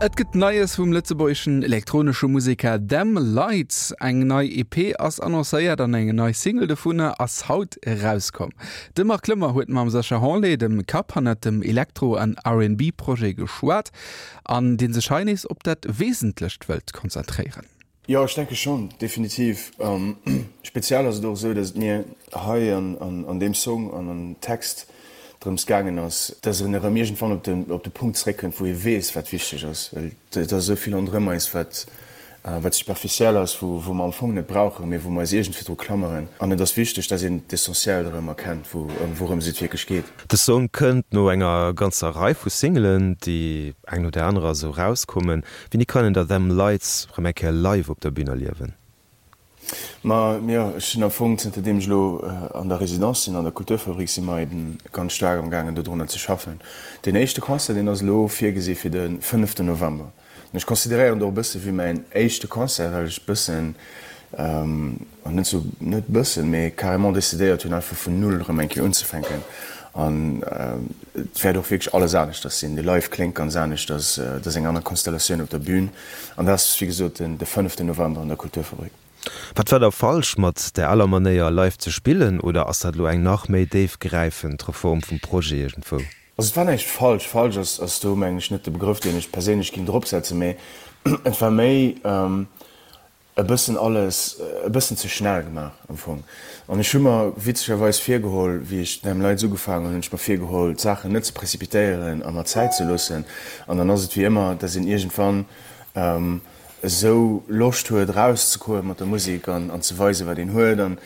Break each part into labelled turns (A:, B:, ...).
A: Et gëtt Neies vum lëtzebuergeschen elektronesche Museker Them Lights. Eng nei EP ass annoncéiert an eng nei Single dovunner ass haut erauskomm. De Marc Lömmer huet mam Sascha Hanlet, dem Kapp hannert dem Elektro an R&B-Projet geschwat an dee sech hei nees op dat Wesentlecht wëllt konzentréieren.
B: Jo, ech denke schonn, definitiv. Speziell ass et och esou, datt et mir hei an deem Song an am Text drëms gaangen ass, datt een erëm iergendwann op de op de Punkt zeréckkënnt, wou ee weess, wat wichteg ass. Well et ass esou vill ronderëm eis, wat wat superficiel ass, wou wou mer am Fong net brauchen, mee wou mer eis iergendwéi dru klammeren. An et ass wichteg, datt een d'Essentiellt erëm erkennt, wou wourëms et wierklech geet.
C: De Song kënnt no enger ganzer Rei vu Singelen, déi eng no der anerer esou erauskommen. Wéini kann een da Them Lights rëm eng Kéier live op der Bühn erliewen?
B: Ma jo, ech sinn am Fong, zënter deem ech elo an der Résidence sinn, an der Kulturfabrik, si mer eben ganz staark am gaangen dodrunner ze schaffen. Deen éischte Concert, deen ass elo virgesi fir de fënneften November. An ech consideréieren et och e bësse wéi mäin éischte Concert, well ech e bëssen, An net sou, net bëssen, mee carrément decidéiert hunn, einfach vun Null erëm eng Kéier unzefänken. An et wäert och wierklech alles aneschters sinn. De Live kléngt ganz aneschters, et ass eng aner Konstellatioun op der Bün. An dat ass, wéi gesot, den de fënneften November an der Kulturfabrik.
C: Wat war da falsch mat där aler Manéier, live ze spillen? Oder ass dat elo eng nach méi déifgräifend Reform vum Projet iergendwou?
B: Also et war näischt falsch. Falsch ass do, mengen ech, net de Begrëff, deen ech perséinlech géing dropsetzen, mee et war méi, e bëssen alles e bëssen ze schnell gemaach am Fong. An ech hu mer witzegerweis virgeholl, wéi ech Them Lights ugefaangen hunn, hunn ech mer virgeholl, d'Saachen net ze précipitéieren a mer Zäit ze loossen. An dann ass et wéi ëmmer, dass een iergendwann esou Loscht huet erauszekoe mat der Musek an an ze weisen, wat een huet an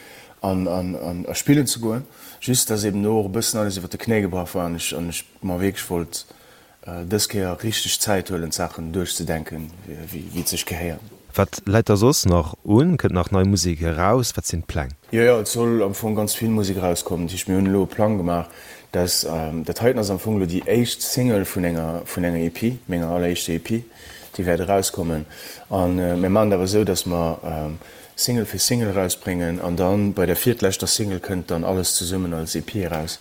B: an an a spillen ze goen. Just dass eben do och e bëssen alles iwwer de Knéi gebrach war an ech an ech mer wierklech wollt Dës Kéier richteg Zäit huelen d'Saachen duerchzedenken wéi et sech gehéiert.
C: Wat läit da soss nach un? Kënnt nach nei Musek eraus? Wat sinn d'Pläng?
B: Jo, jo, et soll am Fong ganz vill Musek erauskommen. Dat heescht, mir hunn elo e Plang gemaach, dass, dat heiten ass am Fong elo déi éischt Single vun enger, vun enger EP, menger alleréischter EP, déi wäert erauskommen. A mir maachen et awer esou, dass mer Single fir Single erausbréngen an dann bei der virtleschter Single kënnt dann alles zesummen als EP eraus.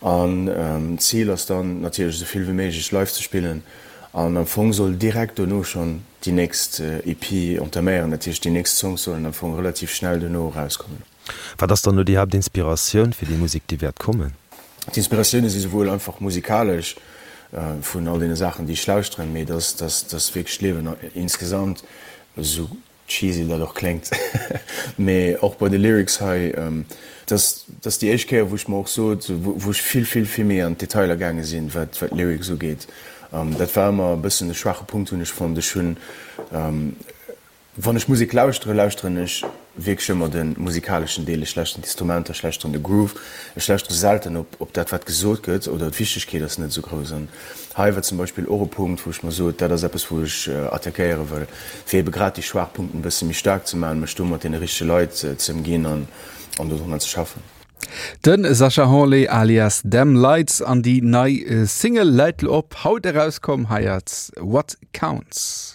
B: An d'Zil ass dann natierlech esou vill wéi méiglech live ze spillen an am Fong soll direkt dono schonn déi nächst EP entaméieren, dat heescht déi nächst Songs sollen am Fong relativ schnell dono erauskommen.
C: Wat ass dann elo déi Haaptinspiratioun fir déi Musek déi wäert kommen?
B: D'Inspiratioune si souwuel einfach musikalesch vun all deene Saachen déi ech lauschteren, mee dass dass wierklech d'Liewen insgesamt esou Cheesy dat och kléngt, mee och bei de Lyrics hei, dat ass déi éischt Kéier wou ech mer och sot, wou ech vill, vill, vill méi an d'Detailer gaange sinn, wat d'Lyrics ugeet. Dat war ëmmer e bëssen e schwaache Punkt, hunn ech fonnt. Ech hunn, wann ech Musek lauschteren, lauschteren ech wierklech ëmmer de musikaleschen Deel. Ech lauschteren d'Instrumenter, ech lauschteren de Groove, ech lauschtere selten op op dat wat gesot gëtt oder d'Wichtegkeet ass net esou grouss. An hei war zum Beispill och e Punkt, wou ech mer sot, dat ass eppes wou ech attackéiere wëll, fir ebe grad déi schwaach Punkten e bësse méi staark ze maachen, mech do mat deene richtege Leit ze ëmginn an an dodrunner ze schaffen.
A: De Sascha Hanlé alias Them Lights an déi nei Single läit lo op, haut erauskomm, hei ass What Counts.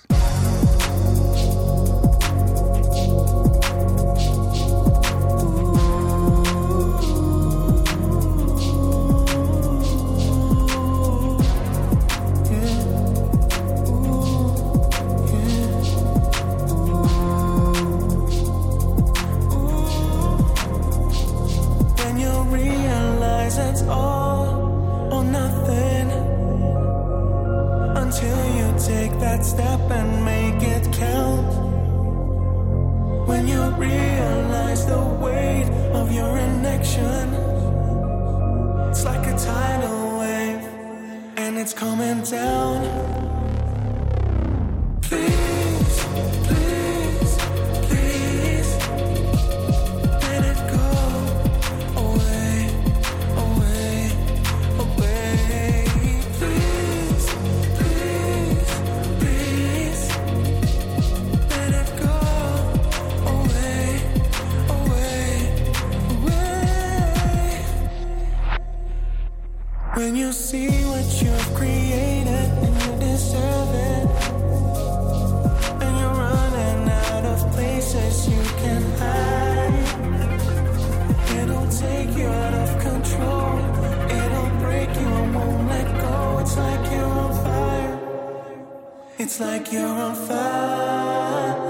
A: It's like you're on fire.